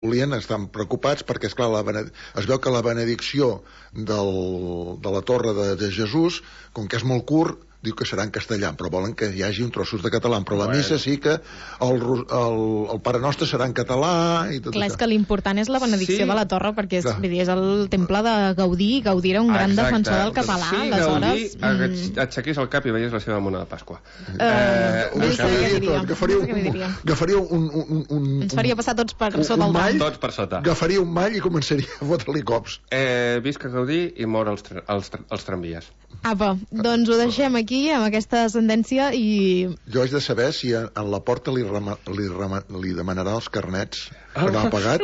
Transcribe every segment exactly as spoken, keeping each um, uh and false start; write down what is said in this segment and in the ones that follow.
volien, estan preocupats perquè, esclar, la bened... es veu que la benedicció del... de la Torre de, de Jesús, com que és molt curt, diu que serà en castellà, però volen que hi hagi un trossos de català, però la bueno. missa sí que el, el, el Pare Nostre serà en català i tot Clar, això. És que l'important és la benedicció sí. de la Torre, perquè és, vull dir, és el temple de Gaudí, i Gaudí era un gran Exacte. defensor del català, sí, aleshores... Gaudí mm... aixequís el cap i veies la seva mona de Pasqua. Uh, eh, no sé què diria. Agafaria un, agafaria un, un, un... Ens faria passar tots per un, sota un el mall, tots per sota. Agafaria un mall i començaria a fotre-li cops. Eh, visca Gaudí i mor els, tra els, tra els tramvies. Apa, doncs ho deixem aquí, amb aquesta sentència, i... Jo haig de saber si en, en la porta li, rema, li, rema, li demanarà els carnets que no ha pagat.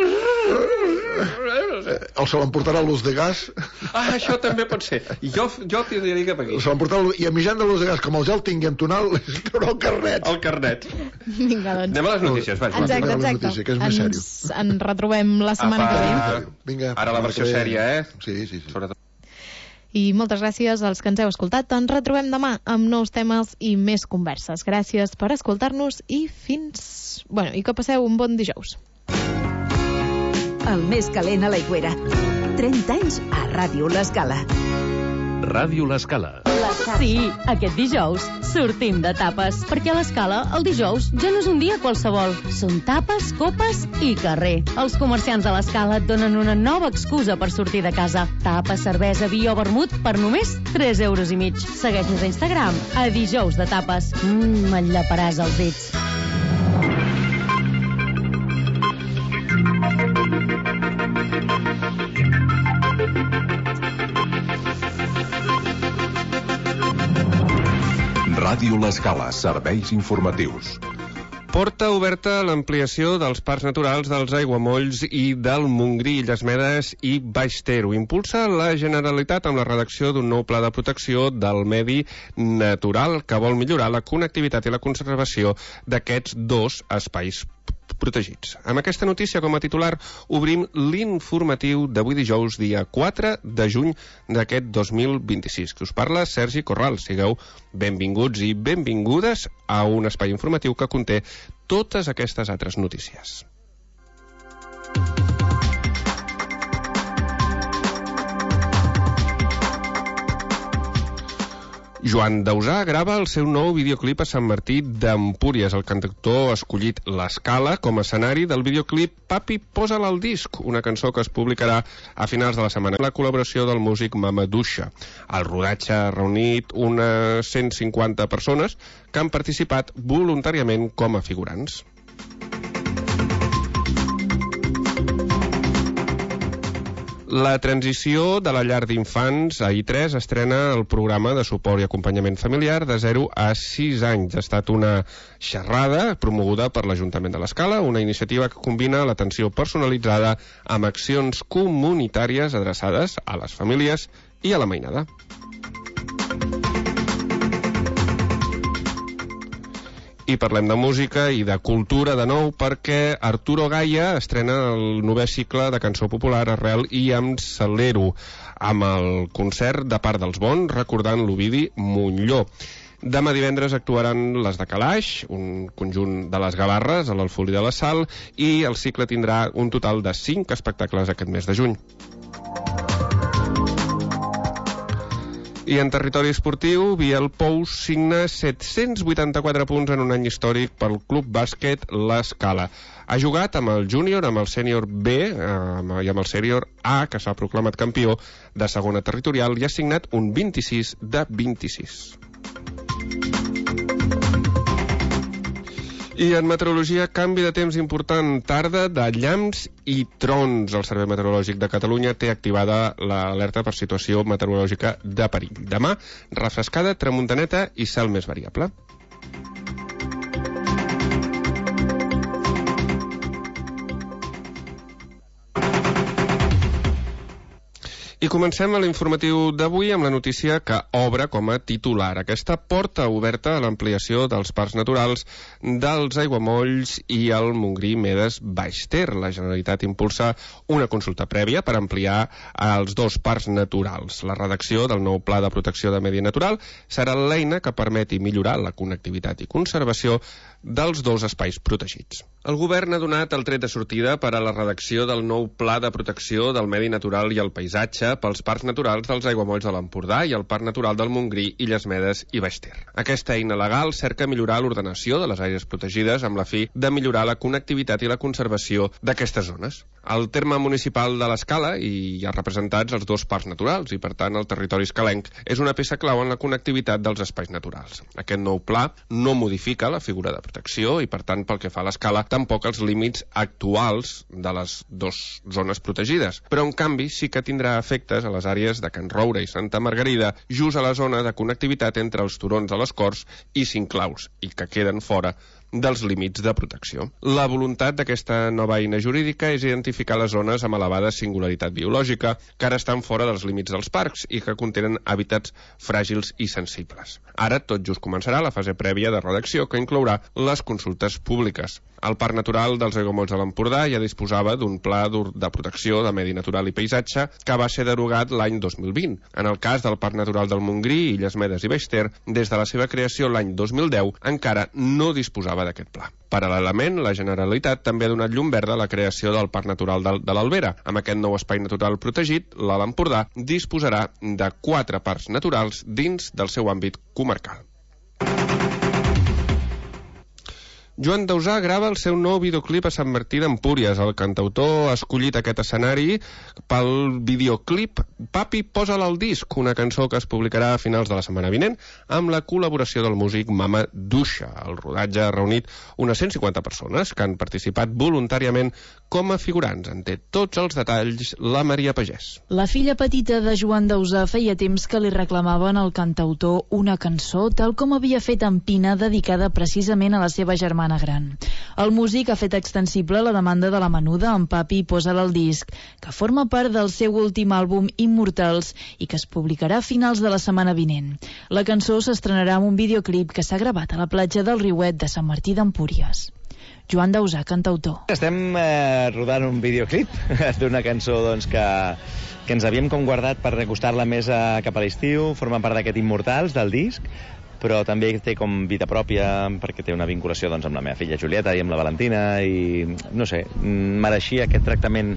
O se l'emportarà l'ús de gas. Ah, això també pot ser. Jo, jo tiraria cap aquí. Se l'emportarà, i a mitjan de l'ús de gas, com el ja el tingui en tonal, li traurà el carnet. El carnet. Vinga, doncs. Anem a les notícies, vaja. Exacte, exacte. Notícia, que és més ens, ens retrobem la setmana Apa. que ve. Vinga, ara la versió sèria, eh? Sí, sí, sí. Sobretot. I moltes gràcies als que ens heu escoltat. Ens retrobem demà amb nous temes i més converses. Gràcies per escoltar-nos i fins... Bueno, i que passeu un bon dijous. El més calent a l'Aigüera. trenta anys a Ràdio L'Escala. Ràdio L'Escala. Sí, aquest dijous sortim de tapes, perquè a l'Escala el dijous ja no és un dia qualsevol. Són tapes, copes i carrer. Els comerciants de l'Escala et donen una nova excusa per sortir de casa. Tapes, cervesa, vi o vermut per només tres euros i mig. Segueix-nos a Instagram a dijous de tapes. Mmm, m'enllaparàs els dits. Ràdio L'Escala, serveis informatius. Porta oberta l'ampliació dels parcs naturals dels Aiguamolls i del Montgrí, Illes Medes i Baix Ter. Ho impulsa la Generalitat amb la redacció d'un nou pla de protecció del medi natural que vol millorar la connectivitat i la conservació d'aquests dos espais protegits. Amb aquesta notícia com a titular obrim l'informatiu d'avui dijous, dia quatre de juny d'aquest dos mil vint-i-sis. Que us parla Sergi Corral. Sigueu benvinguts i benvingudes a un espai informatiu que conté totes aquestes altres notícies. Joan Dausà grava el seu nou videoclip a Sant Martí d'Empúries. El cantautor ha escollit l'Escala com a escenari del videoclip Papi, posa'l al disc, una cançó que es publicarà a finals de la setmana. La col·laboració del músic Mamadouxa. El rodatge ha reunit unes cent cinquanta persones que han participat voluntàriament com a figurants. La transició de la llar d'infants a I tres estrena el programa de suport i acompanyament familiar de zero a sis anys. Ha estat una xerrada promoguda per l'Ajuntament de l'Escala, una iniciativa que combina l'atenció personalitzada amb accions comunitàries adreçades a les famílies i a la mainada. I parlem de música i de cultura de nou perquè Arturo Gaia estrena el novè cicle de cançó popular Arrel i em celero, amb el concert de part dels Bons recordant l'Ovidi Montlló. Demà divendres actuaran les de Calaix, un conjunt de les Gavarres a l'Alfolí de la Sal, i el cicle tindrà un total de cinc espectacles aquest mes de juny. I en territori esportiu, Biel Pous signa set-cents vuitanta-quatre punts en un any històric pel Club Bàsquet l'Escala. Ha jugat amb el júnior, amb el sènior B eh, i amb el sènior A, que s'ha proclamat campió de segona territorial, i ha signat un vint-i-sis de vint-i-sis. I en meteorologia, canvi de temps important, tarda de llamps i trons. El Servei Meteorològic de Catalunya té activada l'alerta per situació meteorològica de perill. Demà, refrescada, tramuntaneta i cel més variable. I comencem a l'informatiu d'avui amb la notícia que obre com a titular aquesta porta oberta a l'ampliació dels parcs naturals dels Aiguamolls i el Montgrí Medes Baix Ter. La Generalitat impulsa una consulta prèvia per ampliar els dos parcs naturals. La redacció del nou Pla de Protecció de Medi Natural serà l'eina que permeti millorar la connectivitat i conservació dels dos espais protegits. El govern ha donat el tret de sortida per a la redacció del nou Pla de Protecció del Medi Natural i el Paisatge pels parcs naturals dels aiguamolls de l'Empordà i el Parc Natural del Montgrí, Illes Medes i Baix Ter. Aquesta eina legal cerca millorar l'ordenació de les àrees protegides amb la fi de millorar la connectivitat i la conservació d'aquestes zones. Al terme municipal de l'Escala hi ha representats els dos parcs naturals i, per tant, el territori escalenc és una peça clau en la connectivitat dels espais naturals. Aquest nou pla no modifica la figura de protecció i, per tant, pel que fa a l'Escala, tampoc els límits actuals de les dues zones protegides, però, en canvi, sí que tindrà efectes a les àrees de Can Roure i Santa Margarida, just a la zona de connectivitat entre els turons de les Corts i Cinclaus, i que queden fora dels límits de protecció. La voluntat d'aquesta nova eina jurídica és identificar les zones amb elevada singularitat biològica que ara estan fora dels límits dels parcs i que contenen hàbitats fràgils i sensibles. Ara tot just començarà la fase prèvia de redacció que inclourà les consultes públiques. El Parc Natural dels Aiguamolls de l'Empordà ja disposava d'un pla de protecció de medi natural i paisatge que va ser derogat l'any dos mil vint. En el cas del Parc Natural del Montgrí, Illes Medes i Baix Ter, des de la seva creació l'any dos mil deu encara no disposava d'aquest pla. Paral·lelament, la Generalitat també ha donat llum verda a la creació del Parc Natural de, de l'Albera. Amb aquest nou espai natural protegit, l'Alt Empordà disposarà de quatre parcs naturals dins del seu àmbit comarcal. Joan Dausà grava el seu nou videoclip a Sant Martí d'Empúries. El cantautor ha escollit aquest escenari pel videoclip Papi, posa'l al disc, una cançó que es publicarà a finals de la setmana vinent amb la col·laboració del músic Mama Duixa. El rodatge ha reunit unes cent cinquanta persones que han participat voluntàriament com a figurants. En té tots els detalls la Maria Pagès. La filla petita de Joan Dausà feia temps que li reclamaven al cantautor una cançó, tal com havia fet en Pina, dedicada precisament a la seva germana gran. El músic ha fet extensible la demanda de la menuda amb Papi, posa'l al disc, que forma part del seu últim àlbum Immortals i que es publicarà a finals de la setmana vinent. La cançó s'estrenarà amb un videoclip que s'ha gravat a la platja del Riuet de Sant Martí d'Empúries. Joan Dausà, cantautor. Estem eh, rodant un videoclip d'una cançó doncs, que, que ens havíem com guardat per recostar-la més a, cap a l'estiu, forma part d'aquest Immortals, del disc, però també té com vida pròpia perquè té una vinculació doncs, amb la meva filla Julieta i amb la Valentina i, no sé, mereixia aquest tractament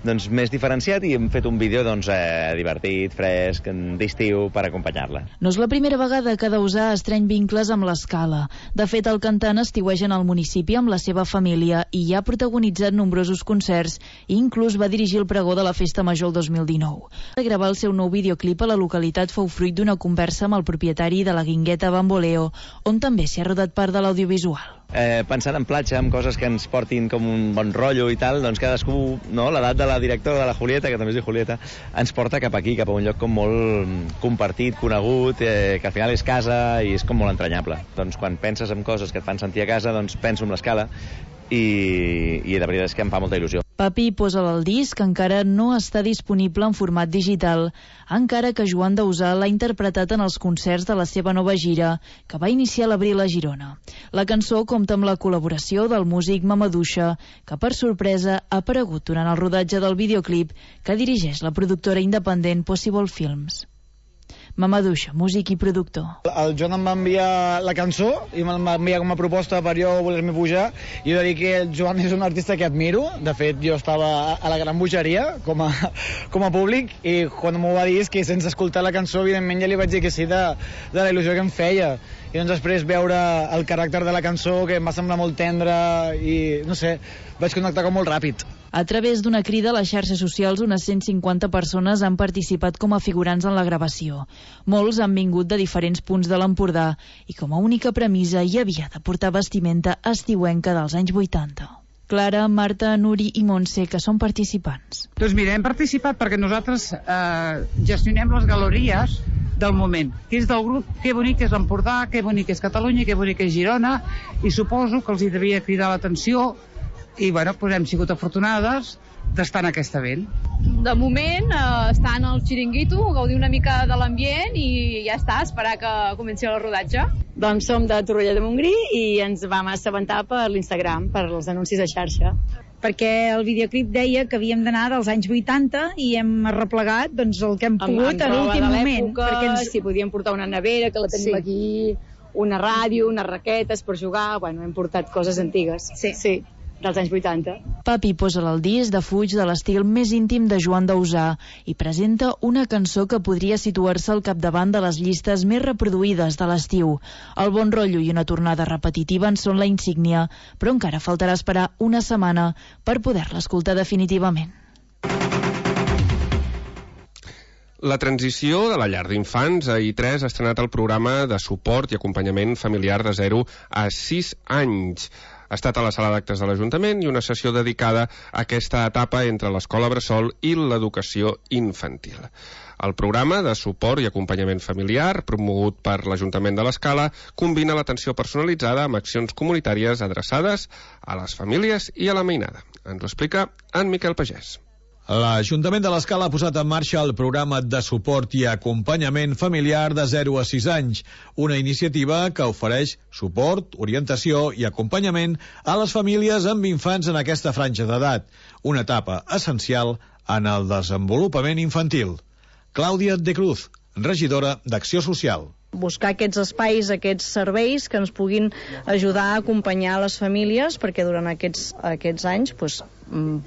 doncs, més diferenciat i hem fet un vídeo doncs, eh, divertit, fresc, d'estiu per acompanyar-la. No és la primera vegada que Dausà estreny vincles amb l'Escala. De fet, el cantant estiueja en el municipi amb la seva família i ja ha protagonitzat nombrosos concerts i inclús va dirigir el pregó de la Festa Major el dos mil dinou. Gravar el seu nou videoclip a la localitat fou fruit d'una conversa amb el propietari de la Guingueta Bamboleo, on també s'hi ha rodat part de l'audiovisual. Eh, pensant en platja, en coses que ens portin com un bon rotllo i tal, doncs cadascú, no? L'edat de la directora de la Julieta, que també es diu Julieta, ens porta cap aquí, cap a un lloc com molt compartit, conegut, eh, que al final és casa i és com molt entranyable. Doncs quan penses en coses que et fan sentir a casa, doncs penso en l'Escala i, i la veritat és que em fa molta il·lusió. Papi, posa'l al disc, encara no està disponible en format digital, encara que Joan Dausà l'ha interpretat en els concerts de la seva nova gira, que va iniciar a l'abril a Girona. La cançó compta amb la col·laboració del músic Mama Duixa, que per sorpresa ha aparegut durant el rodatge del videoclip que dirigeix la productora independent Possible Films. Mama Duixa, músic i productor. El Joan em va enviar la cançó i me'l va enviar com a proposta per jo voler-me pujar. I he de dir que el Joan és un artista que admiro. De fet, jo estava a la gran bogeria com a, com a públic i quan m'ho va dir és que sense escoltar la cançó, evidentment ja li vaig dir que sí de, de la il·lusió que em feia. I doncs després veure el caràcter de la cançó, que em va semblar molt tendre i, no sé, vaig connectar com molt ràpid. A través d'una crida a les xarxes socials, unes cent cinquanta persones han participat com a figurants en la gravació. Molts han vingut de diferents punts de l'Empordà i com a única premissa hi havia de portar vestimenta estiuenca dels anys vuitanta. Clara, Marta, Nuri i Montse, que són participants. Doncs mira, hem participat perquè nosaltres eh, gestionem les galeries del moment, que és del grup Que bonic és l'Empordà, que bonic és Catalunya, que bonic és Girona, i suposo que els hi devia cridar l'atenció i bueno, doncs hem sigut afortunades d'estar en aquest event. De moment eh, estar en el xiringuito, gaudir una mica de l'ambient i ja està, esperar que comenci el rodatge. Doncs som de Torroella de Montgrí i ens vam assabentar per l'Instagram, per els anuncis a xarxa. Perquè el videoclip deia que havíem d'anar dels anys vuitanta i hem arreplegat doncs, el que hem pogut amb, amb a l'últim moment. Perquè ens... si podíem portar una nevera, que la tenim sí. aquí, una ràdio, unes raquetes per jugar, bueno, hem portat coses antigues. Sí. Sí, dels anys vuitanta. Papi posa el disc de fuig de l'estil més íntim de Joan Dausà i presenta una cançó que podria situar-se al capdavant de les llistes més reproduïdes de l'estiu. El bon rotllo i una tornada repetitiva en són la insígnia, però encara faltarà esperar una setmana per poder-la escoltar definitivament. La transició de la llar d'infants a I tres ha estrenat el programa de suport i acompanyament familiar de zero a sis anys. Ha estat a la sala d'actes de l'Ajuntament i una sessió dedicada a aquesta etapa entre l'escola bressol i l'educació infantil. El programa de suport i acompanyament familiar, promogut per l'Ajuntament de l'Escala, combina l'atenció personalitzada amb accions comunitàries adreçades a les famílies i a la mainada. Ens ho explica en Miquel Pagès. L'Ajuntament de l'Escala ha posat en marxa el programa de suport i acompanyament familiar de zero a sis anys, una iniciativa que ofereix suport, orientació i acompanyament a les famílies amb infants en aquesta franja d'edat, una etapa essencial en el desenvolupament infantil. Clàudia de Cruz, regidora d'Acció Social. Buscar aquests espais, aquests serveis que ens puguin ajudar a acompanyar les famílies perquè durant aquests, aquests anys pues,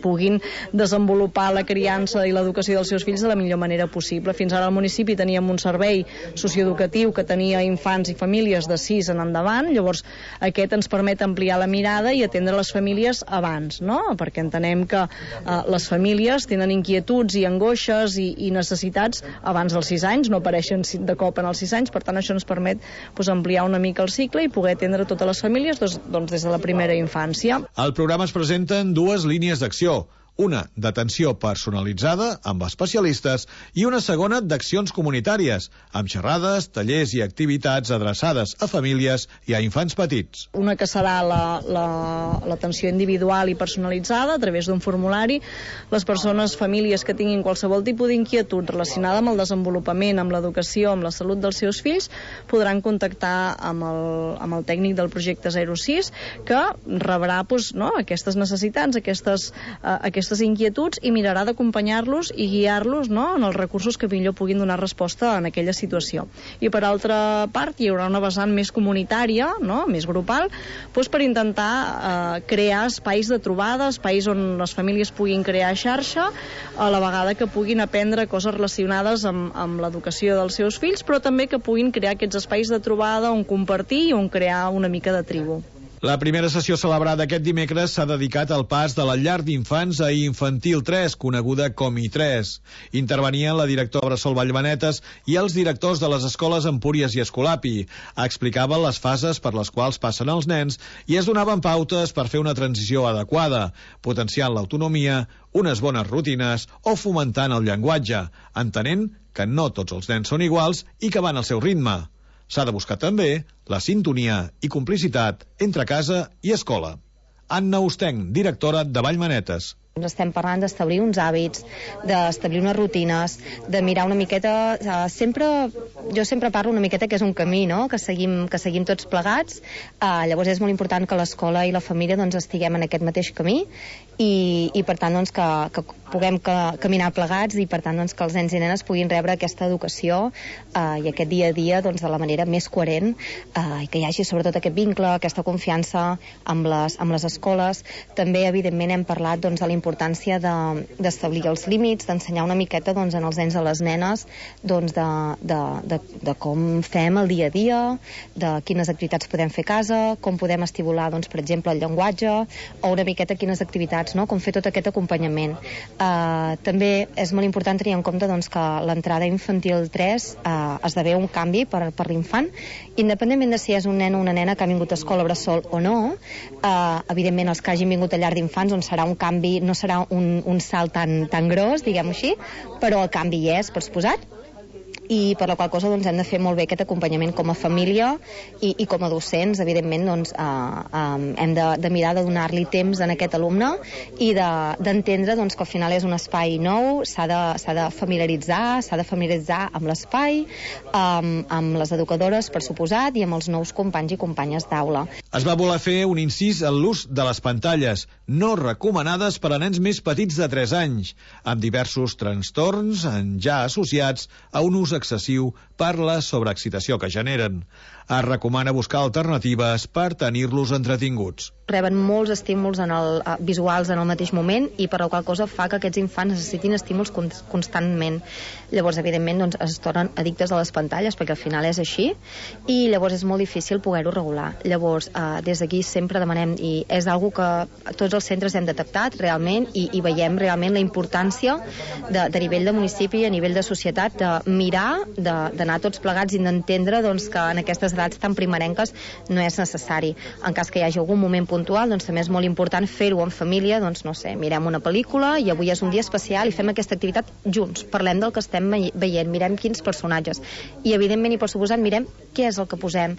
puguin desenvolupar la criança i l'educació dels seus fills de la millor manera possible. Fins ara al municipi teníem un servei socioeducatiu que tenia infants i famílies de sis en endavant, llavors aquest ens permet ampliar la mirada i atendre les famílies abans, no? Perquè entenem que eh, les famílies tenen inquietuds i angoixes i, i necessitats abans dels sis anys, no apareixen de cop en els sis anys, per tant això ens permet pues, ampliar una mica el cicle i poder atendre totes les famílies doncs, doncs, des de la primera infància. Al programa es presenten dues línies d'acció, una d'atenció personalitzada amb especialistes i una segona d'accions comunitàries, amb xerrades, tallers i activitats adreçades a famílies i a infants petits. Una que serà l'atenció la, la, individual i personalitzada a través d'un formulari. Les persones, famílies que tinguin qualsevol tipus d'inquietud relacionada amb el desenvolupament, amb l'educació, amb la salut dels seus fills, podran contactar amb el, amb el tècnic del projecte zero sis, que rebrà pues, no, aquestes necessitats, aquestes, uh, aquestes aquestes inquietuds i mirarà d'acompanyar-los i guiar-los no, en els recursos que millor puguin donar resposta en aquella situació. I per altra part hi haurà una vessant més comunitària, no, més grupal, doncs per intentar eh, crear espais de trobada, espais on les famílies puguin crear xarxa, a la vegada que puguin aprendre coses relacionades amb, amb l'educació dels seus fills, però també que puguin crear aquests espais de trobada on compartir i on crear una mica de tribu. La primera sessió celebrada aquest dimecres s'ha dedicat al pas de la llar d'infants a Infantil tres, coneguda com I tres. Intervenien la directora Bressol Vallmanetes i els directors de les escoles Empúries i Escolapi. Explicaven les fases per les quals passen els nens i es donaven pautes per fer una transició adequada, potenciant l'autonomia, unes bones rutines o fomentant el llenguatge, entenent que no tots els nens són iguals i que van al seu ritme. S'ha de buscar també la sintonia i complicitat entre casa i escola. Anna Ostenc, directora de Vallmanetes. Ens estem parlant d'establir uns hàbits, d'establir unes rutines, de mirar una miqueta... Uh, sempre, jo sempre parlo una miqueta que és un camí, no?, que seguim, que seguim tots plegats. Uh, llavors és molt important que l'escola i la família doncs, estiguem en aquest mateix camí i, i per tant doncs, que, que puguem que, caminar plegats i per tant doncs, que els nens i nenes puguin rebre aquesta educació uh, i aquest dia a dia doncs, de la manera més coherent uh, i que hi hagi sobretot aquest vincle, aquesta confiança amb les, amb les escoles. També, evidentment, hem parlat doncs, de la importància d'establir de, els límits, d'ensenyar una miqueta doncs, en els nens i les nenes doncs, de, de, de, de com fem el dia a dia, de quines activitats podem fer a casa, com podem estimular, doncs, per exemple, el llenguatge, o una miqueta quines activitats, no? Com fer tot aquest acompanyament. Uh, també és molt important tenir en compte doncs, que l'entrada infantil tres uh, esdevé un canvi per, per l'infant, independentment de si és un nen o una nena que ha vingut a escola bressol o no. Uh, evidentment, els que hagin vingut a llar d'infants on serà un canvi, no serà un, un salt tan, tan gros, diguem-ho així, però el canvi hi és, per suposat, i per la qual cosa doncs, hem de fer molt bé aquest acompanyament com a família i, i com a docents, evidentment doncs, eh, eh, hem de, de mirar de donar-li temps en aquest alumne i d'entendre de, doncs, que al final és un espai nou, s'ha de, s'ha de familiaritzar, s'ha de familiaritzar amb l'espai, amb, amb les educadores, per suposat, i amb els nous companys i companyes d'aula. Es va voler fer un incís en l'ús de les pantalles, no recomanades per a nens més petits de tres anys, amb diversos trastorns ja associats a un ús excessiu per la sobreexcitació que generen. Es recomana buscar alternatives per tenir-los entretinguts. Reben molts estímuls en el, uh, visuals en el mateix moment i per la qual cosa fa que aquests infants necessitin estímuls con constantment. Llavors, evidentment, doncs, es tornen addictes a les pantalles perquè al final és així i llavors és molt difícil poder-ho regular. Llavors, uh, des d'aquí sempre demanem, i és algo que tots els centres hem detectat realment i, i veiem realment la importància de, de nivell de municipi, a nivell de societat, de mirar, d'anar tots plegats i d'entendre doncs, que en aquestes edats tan primerenques no és necessari. En cas que hi hagi algun moment puntual, doncs també és molt important fer-ho en família, doncs no sé, mirem una pel·lícula i avui és un dia especial i fem aquesta activitat junts, parlem del que estem veient, mirem quins personatges i evidentment i per suposat mirem què és el que posem.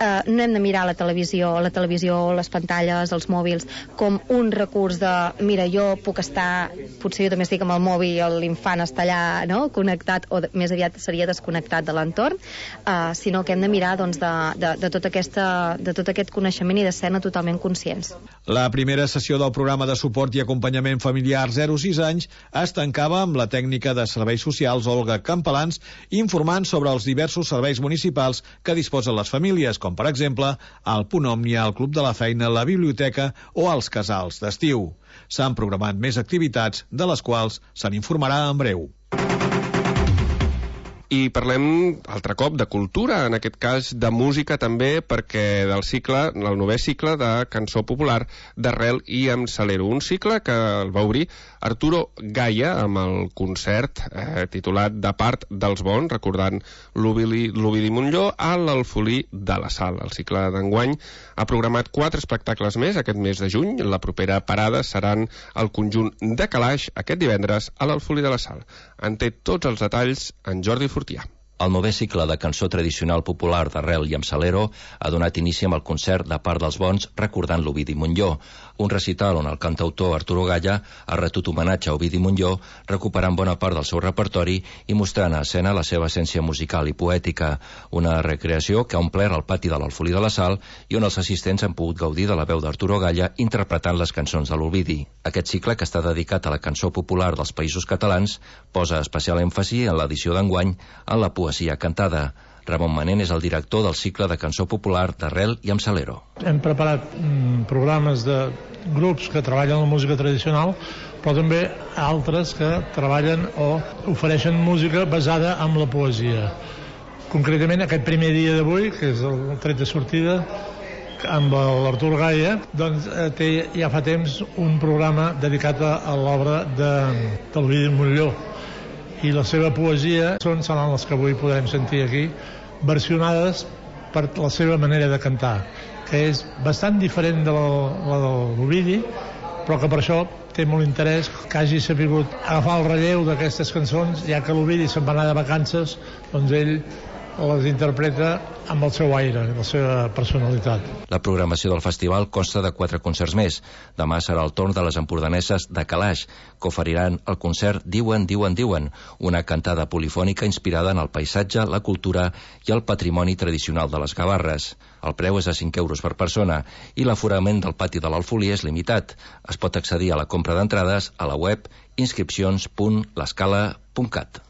Uh, no hem de mirar la televisió, la televisió, les pantalles, els mòbils, com un recurs de, mira, jo puc estar, potser jo també estic amb el mòbil i l'infant està allà, no?, connectat, o de, més aviat seria desconnectat de l'entorn, uh, sinó que hem de mirar doncs, de, de, de, tot aquesta, de tot aquest coneixement i de ser-ne totalment conscients. La primera sessió del programa de suport i acompanyament familiar zero a sis anys es tancava amb la tècnica de serveis socials Olga Campalans informant sobre els diversos serveis municipals que disposen les famílies, com per exemple el Punt Òmnia, el Club de la Feina, la biblioteca o els casals d'estiu. S'han programat més activitats, de les quals se n'informarà en breu. I parlem altre cop de cultura, en aquest cas de música també, perquè del cicle, el novè cicle de cançó popular d'Arrel i amb Salero. Un cicle que el va obrir Arturo Gaya amb el concert eh, titulat De part dels bons, recordant l'Ovidi Montllor a l'Alfolí de la Sal. El cicle d'enguany ha programat quatre espectacles més aquest mes de juny. La propera parada seran el conjunt de Calaix aquest divendres a l'Alfolí de la Sal. En té tots els detalls en Jordi Fortià. El novè cicle de cançó tradicional popular d'Arrel i amb Salero ha donat inici amb el concert De part dels bons recordant l'Ovidi Montllor, un recital on el cantautor Arturo Gaya ha retut homenatge a Ovidi Montllor, recuperant bona part del seu repertori i mostrant a escena la seva essència musical i poètica, una recreació que ha omplert el pati de l'Alfolí de la Sal i on els assistents han pogut gaudir de la veu d'Arturo Gaya interpretant les cançons de l'Ovidi. Aquest cicle, que està dedicat a la cançó popular dels Països Catalans, posa especial èmfasi en l'edició d'enguany en la poesia cantada. Ramon Manent és el director del cicle de cançó popular d'Arrel i amb Salero. Hem preparat mm, programes de grups que treballen la música tradicional, però també altres que treballen o ofereixen música basada en la poesia. Concretament, aquest primer dia d'avui, que és el tret de sortida, amb l'Artur Gaya, doncs té ja fa temps un programa dedicat a l'obra de, de l'Ovidi Montllor. I la seva poesia són, seran les que avui podrem sentir aquí, versionades per la seva manera de cantar, que és bastant diferent de la, la de l'Ovidi, però que per això té molt interès que hagi sabut agafar el relleu d'aquestes cançons, ja que l'Ovidi se'n va anar de vacances, doncs ell les interpreta amb el seu aire, la seva personalitat. La programació del festival consta de quatre concerts més. Demà serà el torn de les empordaneses de Calaix, que oferiran el concert Diuen, Diuen, Diuen, una cantada polifònica inspirada en el paisatge, la cultura i el patrimoni tradicional de les Gavarres. El preu és de cinc euros per persona i l'aforament del pati de l'Alfolí és limitat. Es pot accedir a la compra d'entrades a la web inscripcions punt l'escala punt cat.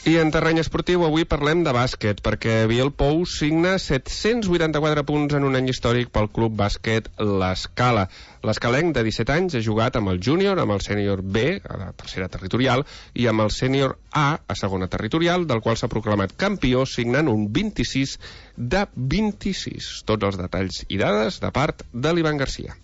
I en terreny esportiu avui parlem de bàsquet, perquè Biel Pou signa set-cents vuitanta-quatre punts en un any històric pel club bàsquet L'Escala. L'escalenc, de disset anys, ha jugat amb el júnior, amb el sènior B, a la tercera territorial, i amb el sènior A, a segona territorial, del qual s'ha proclamat campió, signant un vint-i-sis de vint-i-sis. Tots els detalls i dades de part de l'Ivan Garcia.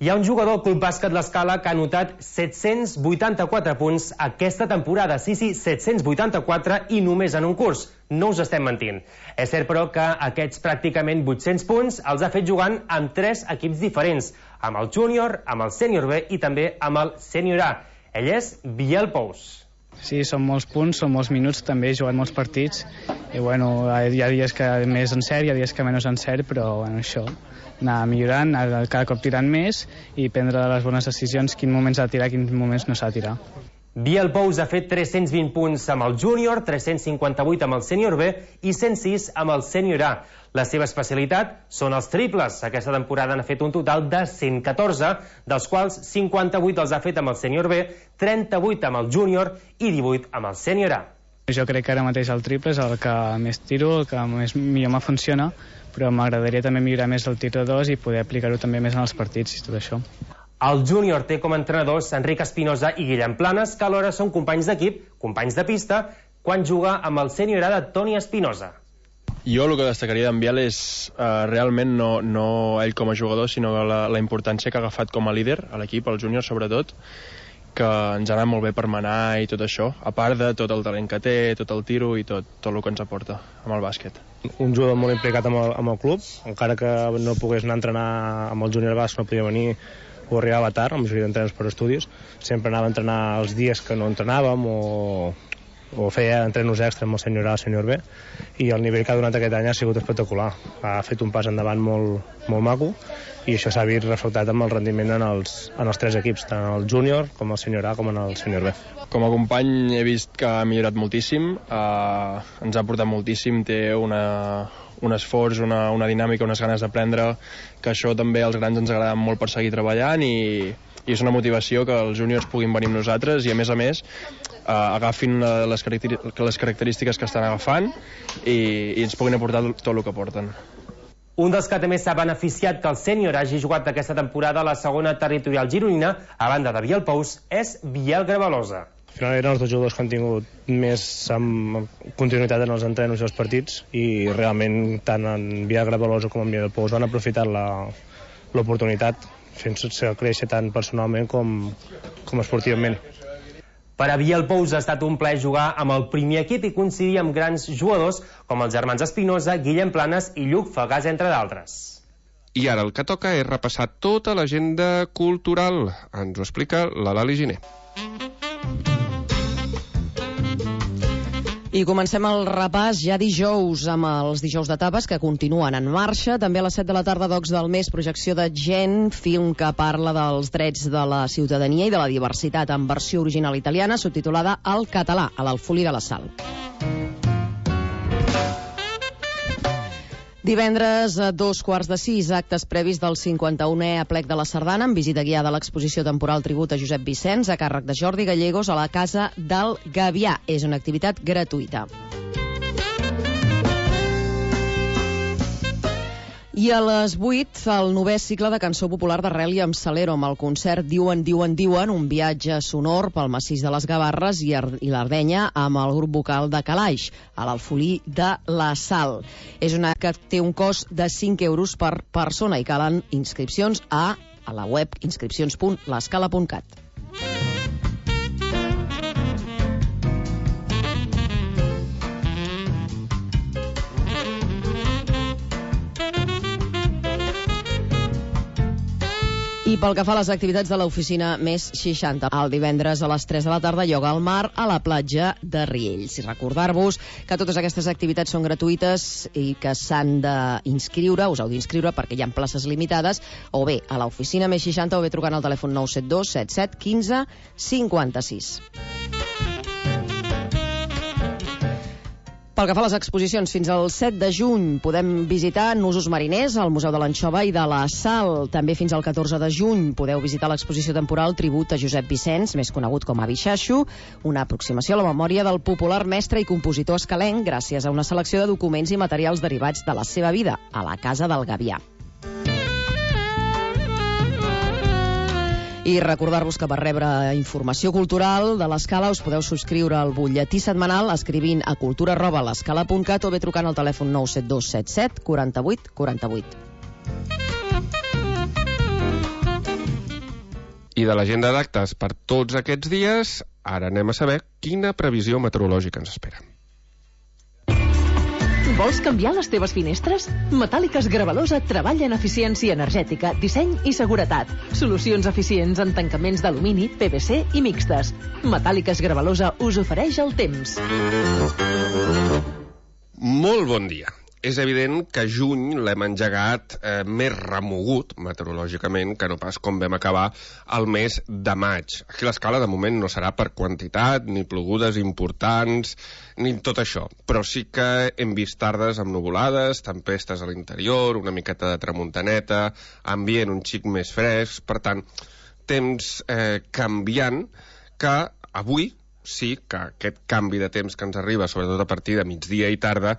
Hi ha un jugador del Club Bàsquet L'Escala que ha anotat set-cents vuitanta-quatre punts aquesta temporada. Sí, sí, set-cents vuitanta-quatre i només en un curs. No us estem mentint. És cert, però, que aquests pràcticament vuit-cents punts els ha fet jugant amb tres equips diferents, amb el júnior, amb el sènior B i també amb el sènior A. Ell és Biel Pous. Sí, són molts punts, són molts minuts, també he jugat molts partits i bueno, hi ha dies que més encert, hi ha dies que menys encert, però bueno, això, anar millorant, anar cada cop tirant més i prendre les bones decisions, quins moments s'ha de tirar, quins moments no s'ha de tirar. Biel Pous ha fet tres-cents vint punts amb el júnior, tres-cents cinquanta-vuit amb el sènior B i cent sis amb el sènior A. La seva especialitat són els triples. Aquesta temporada n'ha fet un total de cent catorze, dels quals cinquanta-vuit els ha fet amb el sènior B, trenta-vuit amb el júnior i divuit amb el sènior A. Jo crec que ara mateix el triple és el que més tiro, el que més millor me funciona, però m'agradaria també millorar més el tir de dos i poder aplicar-ho també més en els partits i tot això. El júnior té com a entrenadors Enric Espinosa i Guillem Planes, que alhora són companys d'equip, companys de pista, quan juga amb el sènior A de Toni Espinosa. Jo el que destacaria d'en Biel és uh, realment no, no ell com a jugador, sinó la, la importància que ha agafat com a líder a l'equip, al júnior sobretot, que ens ha anat molt bé per manar i tot això, a part de tot el talent que té, tot el tiro i tot, tot el que ens aporta amb el bàsquet. Un jugador molt implicat amb el, amb el club, encara que no pogués anar a entrenar amb el júnior basc, no podia venir o arribava tard, la majoria d'entrenadors per estudis, sempre anava a entrenar els dies que no entrenàvem o, o feia entrenos extra amb el sènior A, el sènior B, i el nivell que ha donat aquest any ha sigut espectacular. Ha fet un pas endavant molt, molt maco i això s'ha vist reflectat amb el rendiment en els, en els tres equips, tant el júnior com el sènior A com en el sènior B. Com a company he vist que ha millorat moltíssim, eh, ens ha aportat moltíssim, té una, un esforç, una, una dinàmica, unes ganes d'aprendre, que això també als grans ens agrada molt per seguir treballant i, i és una motivació que els júniors puguin venir amb nosaltres i a més a més eh, agafin les, les característiques que estan agafant i, i ens puguin aportar tot el que porten. Un dels que també s'ha beneficiat que el sènior hagi jugat aquesta temporada a la segona territorial gironina, a banda de Biel Pous, és Biel Gravalosa. Al final eren els dos jugadors que han tingut més amb continuïtat en els entrenos i els partits i realment tant en Biel Gravalosa com en Biel Pous van aprofitar l'oportunitat fent-se créixer tant personalment com, com esportivament. Per a Biel Pous ha estat un plaer jugar amb el primer equip i coincidir amb grans jugadors com els germans Espinosa, Guillem Planes i Lluc Fagàs, entre d'altres. I ara el que toca és repassar tota l'agenda cultural. Ens ho explica la Lali Giner. I comencem el repàs ja dijous amb els dijous de tapes que continuen en marxa. També a les set de la tarda, Docs del Mes, projecció de Gent, film que parla dels drets de la ciutadania i de la diversitat en versió original italiana, subtitulada al català, a l'Alfolí de la Sal. Divendres, a dos quarts de sis, actes previs del cinquanta-unè aplec de la Sardana, amb visita guiada a l'exposició temporal Tribut a Josep Vicenç, a càrrec de Jordi Gallegos, a la Casa del Gavià. És una activitat gratuïta. I a les vuit, el novè cicle de cançó popular d'Arrel i amb Salero, amb el concert Diuen, Diuen, Diuen, un viatge sonor pel massís de les Gavarres i, i l'Ardenya amb el grup vocal de Calaix, a l'Alfolí de la Sal. És una que té un cost de cinc euros per persona i calen inscripcions a, a la web inscripcions punt l'escala punt cat. I pel que fa a les activitats de l'oficina Més seixanta, el divendres a les tres de la tarda, ioga al mar a la platja de Riells. I recordar-vos que totes aquestes activitats són gratuïtes i que s'han d'inscriure, us heu d'inscriure perquè hi ha places limitades, o bé a l'oficina Més seixanta o bé trucant al telèfon nou set dos set set un cinc cinc sis. Pel que fa a les exposicions, fins al set de juny podem visitar Nusos Mariners, al Museu de l'Anxova i de la Sal. També fins al catorze de juny podeu visitar l'exposició temporal Tribut a Josep Vicenç, més conegut com a Bixaixo, una aproximació a la memòria del popular mestre i compositor escalenc gràcies a una selecció de documents i materials derivats de la seva vida a la Casa del Gavià. I recordar-vos que per rebre informació cultural de l'Escala us podeu subscriure al butlletí setmanal escrivint a cultura arroba l'escala punt cat o bé trucant al telèfon nou set dos set set quaranta-vuit quaranta-vuit. I de l'agenda d'actes per tots aquests dies, ara anem a saber quina previsió meteorològica ens espera. Vols canviar les teves finestres? Metàl·liques Gravalosa treballa en eficiència energètica, disseny i seguretat. Solucions eficients en tancaments d'alumini, P V C i mixtes. Metàl·liques Gravalosa us ofereix el temps. Molt bon dia. és evident que juny l'hem engegat eh, més remogut meteorològicament que no pas com vam acabar el mes de maig. Aquí l'escala de moment no serà per quantitat, ni plogudes importants, ni tot això. Però sí que hem vist tardes amb nuvolades, tempestes a l'interior, una miqueta de tramuntaneta, ambient un xic més fresc, per tant, temps eh, canviant que avui sí que aquest canvi de temps que ens arriba, sobretot a partir de migdia i tarda,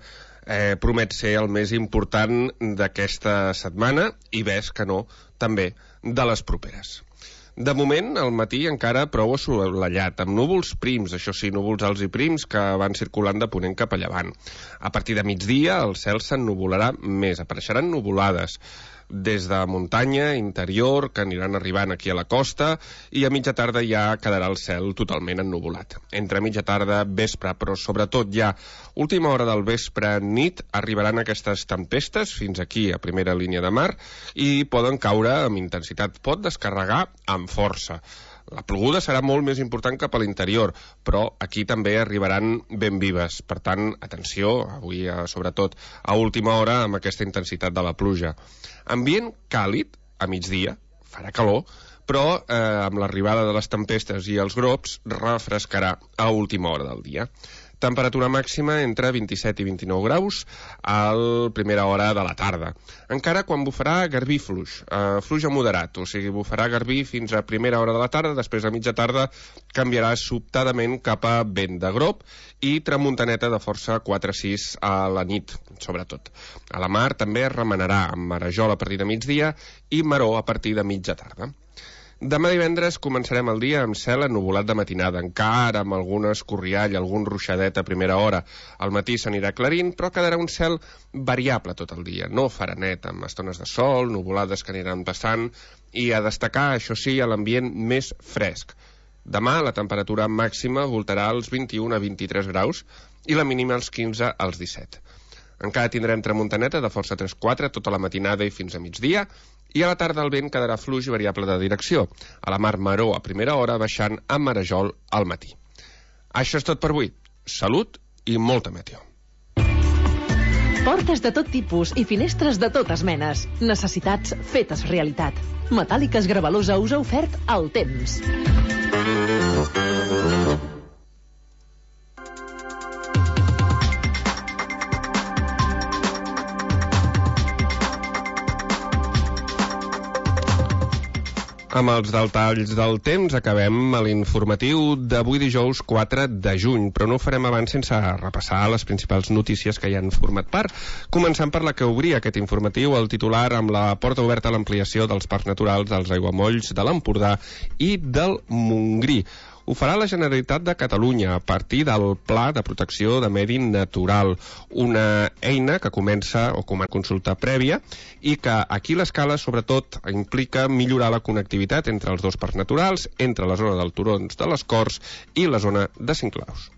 eh, promet ser el més important d'aquesta setmana i ves que no, també de les properes. De moment, al matí encara prou assolellat, amb núvols prims, això sí, núvols alts i prims que van circulant de ponent cap a llevant. A partir de migdia el cel s'ennuvolarà més, apareixeran nuvolades des de muntanya, interior, que aniran arribant aquí a la costa, i a mitja tarda ja quedarà el cel totalment ennuvolat. Entre mitja tarda, vespre, però sobretot ja última hora del vespre, nit, arribaran aquestes tempestes fins aquí, a primera línia de mar, i poden caure amb intensitat. Pot descarregar amb força. La ploguda serà molt més important cap a l'interior, però aquí també arribaran ben vives. Per tant, atenció, avui sobretot a última hora amb aquesta intensitat de la pluja. Ambient càlid a migdia, farà calor, però eh, amb l'arribada de les tempestes i els grops refrescarà a última hora del dia. Temperatura màxima entre vint-i-set i vint-i-nou graus a la primera hora de la tarda. Encara quan bufarà garbí fluix, eh, fluix a moderat, o sigui, bufarà garbí fins a primera hora de la tarda, després a mitja tarda canviarà sobtadament cap a vent de grop i tramuntaneta de força quatre a sis a la nit, sobretot. A la mar també es remenarà amb marejol a partir de migdia i maror a partir de mitja tarda. Demà divendres començarem el dia amb cel ennuvolat de matinada, encara amb alguna escorriall, algun ruixadet a primera hora. Al matí s'anirà aclarint, però quedarà un cel variable tot el dia. No farà net, amb estones de sol, nuvolades que aniran passant, i a destacar, això sí, a l'ambient més fresc. Demà la temperatura màxima voltarà als vint-i-un a vint-i-tres graus i la mínima als quinze als disset. Encara tindrem tramuntaneta de força tres quatre tota la matinada i fins a migdia, i a la tarda el vent quedarà fluix i variable de direcció. A la mar maror a primera hora, baixant a marejol al matí. Això és tot per avui. Salut i molta meteo. Portes de tot tipus i finestres de totes menes. Necessitats fetes realitat. Metàl·liques Gravalusa us ha ofert el temps. Amb els detalls del temps acabem l'informatiu d'avui dijous quatre de juny, però no ho farem abans sense repassar les principals notícies que hi han format part. Començant per la que obria aquest informatiu, el titular amb la porta oberta a l'ampliació dels parcs naturals dels aiguamolls de l'Empordà i del Montgrí. Ho farà la Generalitat de Catalunya a partir del Pla de Protecció de Medi Natural, una eina que comença o com a consulta prèvia i que aquí l'escala sobretot implica millorar la connectivitat entre els dos parcs naturals, entre la zona del Turons de les Corts i la zona de Sinclaus.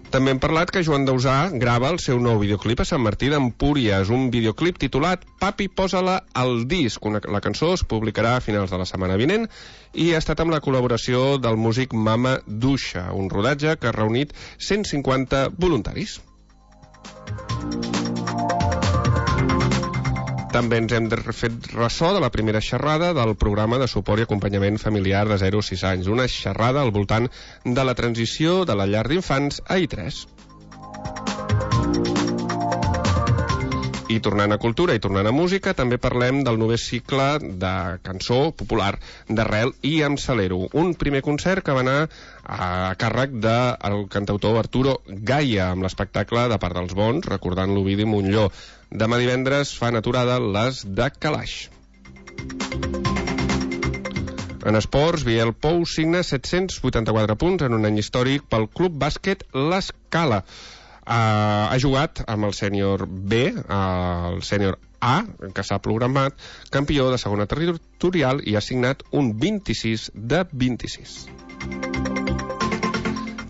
També hem parlat que Joan Dausà grava el seu nou videoclip a Sant Martí d'Empúries, un videoclip titulat Papi, posa-la al disc. Una, la cançó es publicarà a finals de la setmana vinent i ha estat amb la col·laboració del músic Mama Duixa, un rodatge que ha reunit cent cinquanta voluntaris. També ens hem fet ressò de la primera xerrada del programa de suport i acompanyament familiar de zero a sis anys, una xerrada al voltant de la transició de la llar d'infants a I tres. I tornant a cultura i tornant a música, també parlem del novè cicle de cançó popular d'Arrel i amb Salero, un primer concert que va anar a càrrec del cantautor Arturo Gaia, amb l'espectacle de Part dels Bons, recordant l'Ovidi Montllor. Demà divendres fan aturada les de Calaix. En esports, Biel Pou signa set-cents vuitanta-quatre punts en un any històric pel Club Bàsquet L'Escala. Uh, ha jugat amb el sènior B, uh, el sènior A, que s'ha programat, campió de segona territorial, i ha signat un vint-i-sis de vint-i-sis.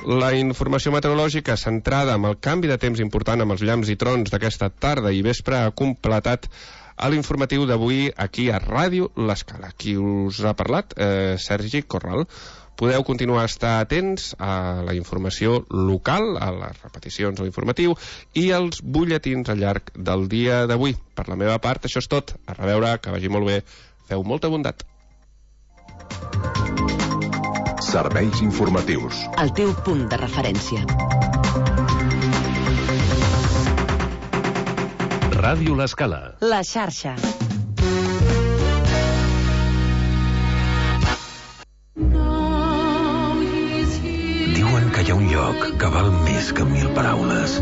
La informació meteorològica centrada en el canvi de temps important amb els llamps i trons d'aquesta tarda i vespre ha completat a l'informatiu d'avui aquí a Ràdio L'Escala. Qui us ha parlat? Eh, Sergi Corral. podeu continuar a estar atents a la informació local, a les repeticions o informatiu i als butlletins al llarg del dia d'avui. Per la meva part, això és tot. A reveure, que vagi molt bé. Feu molta bondat. Serveis informatius. El teu punt de referència. Ràdio L'Escala. La xarxa. Diuen que hi ha un lloc que val més que mil paraules.